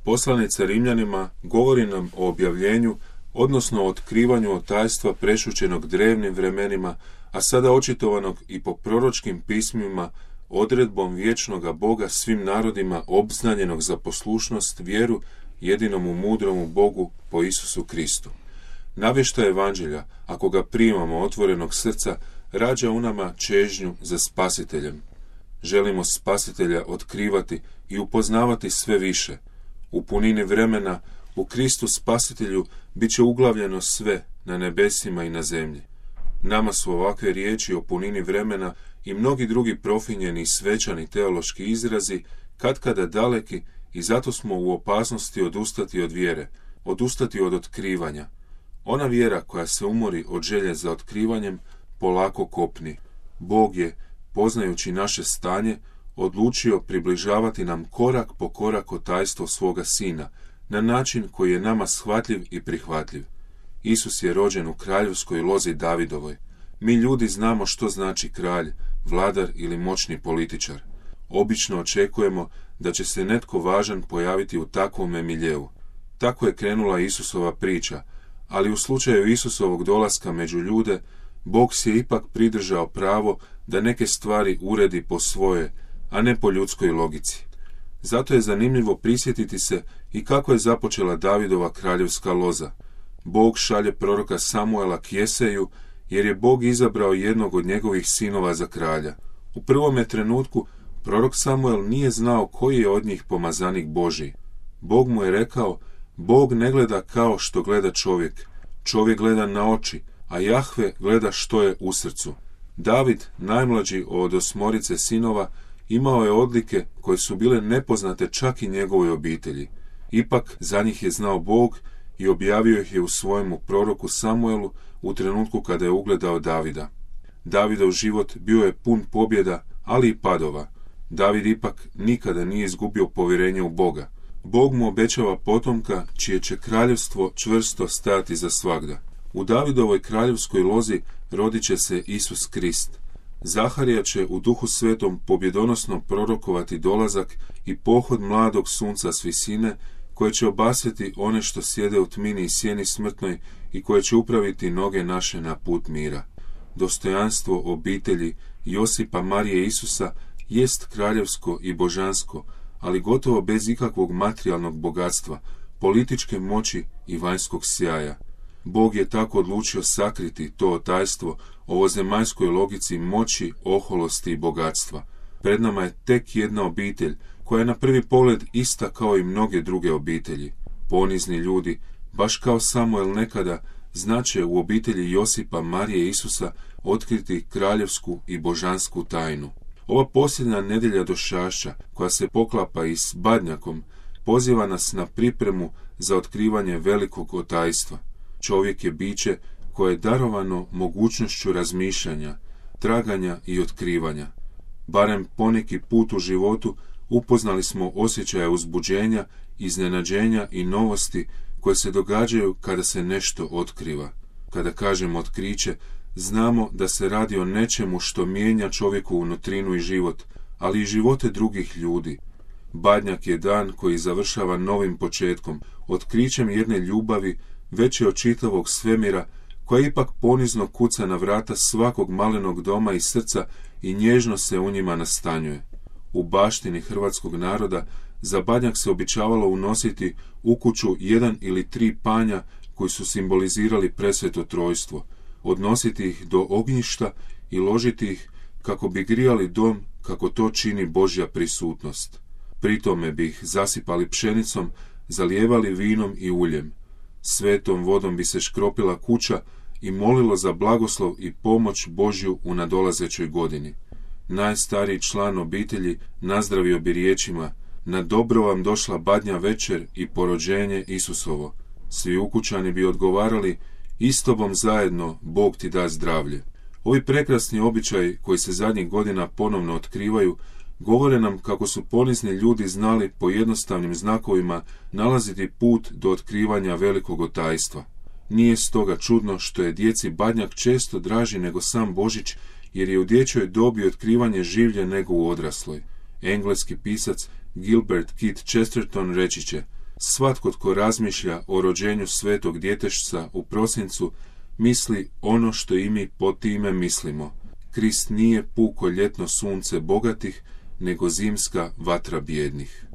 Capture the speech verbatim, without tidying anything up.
Poslanica Rimljanima govori nam o objavljenju, odnosno o otkrivanju otajstva prešućenog drevnim vremenima, a sada očitovanog i po proročkim pismima odredbom vječnoga Boga svim narodima obznanjenog za poslušnost, vjeru jedinomu mudromu Bogu po Isusu Kristu. Navještaj evanđelja, ako ga primamo otvorenog srca, rađa u nama čežnju za spasiteljem. Želimo spasitelja otkrivati i upoznavati sve više. U punini vremena, u Kristu spasitelju, bit će uglavljeno sve na nebesima i na zemlji. Nama su ovakve riječi o punini vremena i mnogi drugi profinjeni i svečani teološki izrazi katkada daleki i zato smo u opasnosti odustati od vjere, odustati od otkrivanja. Ona vjera koja se umori od želje za otkrivanjem polako kopni. Bog je, poznajući naše stanje, odlučio približavati nam korak po korak otajstvo svoga Sina, na način koji je nama shvatljiv i prihvatljiv. Isus je rođen u kraljevskoj lozi Davidovoj. Mi ljudi znamo što znači kralj, vladar ili moćni političar. Obično očekujemo da će se netko važan pojaviti u takvom miljeu. Tako je krenula Isusova priča, ali u slučaju Isusovog dolaska među ljude, Bog si je ipak pridržao pravo da neke stvari uredi po svoje, a ne po ljudskoj logici. Zato je zanimljivo prisjetiti se i kako je započela Davidova kraljevska loza. Bog šalje proroka Samuela k Jeseju, jer je Bog izabrao jednog od njegovih sinova za kralja. U prvome trenutku prorok Samuel nije znao koji je od njih pomazanik Božji. Bog mu je rekao, Bog ne gleda kao što gleda čovjek. Čovjek gleda na oči, a Jahve gleda što je u srcu. David, najmlađi od osmorice sinova, imao je odlike koje su bile nepoznate čak i njegovoj obitelji. Ipak za njih je znao Bog i objavio ih je u svojemu proroku Samuelu u trenutku kada je ugledao Davida. Davidov život bio je pun pobjeda, ali i padova. David ipak nikada nije izgubio povjerenje u Boga. Bog mu obećava potomka čije će kraljevstvo čvrsto stajati za svagda. U Davidovoj kraljevskoj lozi rodit će se Isus Krist. Zaharija će u Duhu Svetom pobjedonosno prorokovati dolazak i pohod mladog sunca s visine, koje će obasjeti one što sjede u tmini i sjeni smrtnoj i koje će upraviti noge naše na put mira. Dostojanstvo obitelji Josipa, Marije i Isusa jest kraljevsko i božansko, ali gotovo bez ikakvog materijalnog bogatstva, političke moći i vanjskog sjaja. Bog je tako odlučio sakriti to otajstvo ovozemaljskoj logici moći, oholosti i bogatstva. Pred nama je tek jedna obitelj, koja je na prvi pogled ista kao i mnoge druge obitelji. Ponizni ljudi, baš kao Samuel nekada, znače u obitelji Josipa, Marije i Isusa otkriti kraljevsku i božansku tajnu. Ova posljednja nedjelja došašća, koja se poklapa i s badnjakom, poziva nas na pripremu za otkrivanje velikog otajstva. Čovjek je biće koje je darovano mogućnošću razmišljanja, traganja i otkrivanja. Barem poneki put u životu upoznali smo osjećaje uzbuđenja, iznenađenja i novosti koje se događaju kada se nešto otkriva. Kada kažemo otkriće, znamo da se radi o nečemu što mijenja čovjeku unutrinu i život, ali i živote drugih ljudi. Badnjak je dan koji završava novim početkom, otkrićem jedne ljubavi veće od čitavog svemira, koja ipak ponizno kuca na vrata svakog malenog doma i srca i nježno se u njima nastanjuje. U baštini hrvatskog naroda za badnjak se običavalo unositi u kuću jedan ili tri panja koji su simbolizirali presveto trojstvo, odnositi ih do ognjišta i ložiti ih kako bi grijali dom kako to čini Božja prisutnost. Pritome bi ih zasipali pšenicom, zalijevali vinom i uljem. Svetom vodom bi se škropila kuća i molilo za blagoslov i pomoć Božju u nadolazećoj godini. Najstariji član obitelji nazdravio bi riječima: na dobro vam došla badnja večer i porođenje Isusovo. Svi ukućani bi odgovarali: istobom zajedno, Bog ti da zdravlje. Ovi prekrasni običaji koji se zadnjih godina ponovno otkrivaju govore nam kako su ponizni ljudi znali po jednostavnim znakovima nalaziti put do otkrivanja velikog otajstva. Nije stoga čudno što je djeci badnjak često draži nego sam Božić, jer je u dječjoj dobi otkrivanje življe nego u odrasloj. Engleski pisac Gilbert Keith Chesterton reći će: svatko tko razmišlja o rođenju svetog djetešca u prosincu, misli ono što i mi po time mislimo. Krist nije puko ljetno sunce bogatih, nego zimska vatra bijednih.